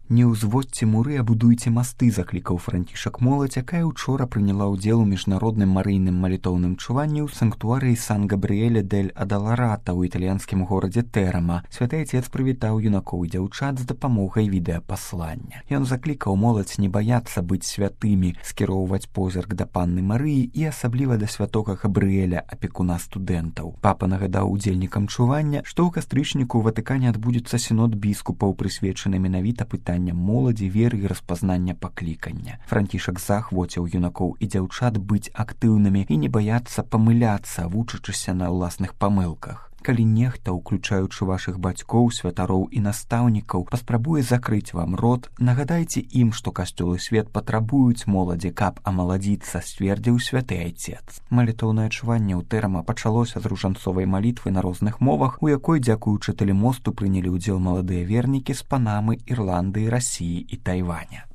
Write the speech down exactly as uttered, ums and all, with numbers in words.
Не ўзводзьце муры, а будуйце масты, заклікаў Францішак моладзь, якая учора прыняла ўдзел у міжнародным марыйным малітоўным чуванні ў санктуарыі Сан-Габрыэля дель Адаларата ў італьянскім горадзе Тэрама. Святы Отец прывітаў юнакоў і дзяўчат з дапамогай відэапаслання. Ён заклікаў моладзь не баяцца быць святымі, скіроўваць позірк да панны Марыі і асабліва да святога Габрыэля, апекуна студэнтаў. Папа нагадаў удзельнікам чування, што ў кастрычніку ў Ватыкане адбудзецца сінод біскупаў, прысвечаны менавіта пытанням моладзі, веры і распазнання паклікання. Францішак заахвоціў юнакоў і дзяўчат быць актыўнымі і не баяцца памыляцца, вучачыся на ўласных памылках. Калі нехта, уключаючы вашых бацькоў, святароў і настаўнікаў, паспрабуе закрыць вам рот, нагадайце ім, што касцёл і свет патрабуюць моладзі, каб амаладзіцца, сцвердзіў святы Айцец. Малітоўнае чуванне ў Тэрама пачалося з ружанцовай малітвы на розных мовах, у якой, дзякуючы тэлемосту, прынялі ўдзел маладыя вернікі з Панамы, Ірландыі, Расіі і Тайваня.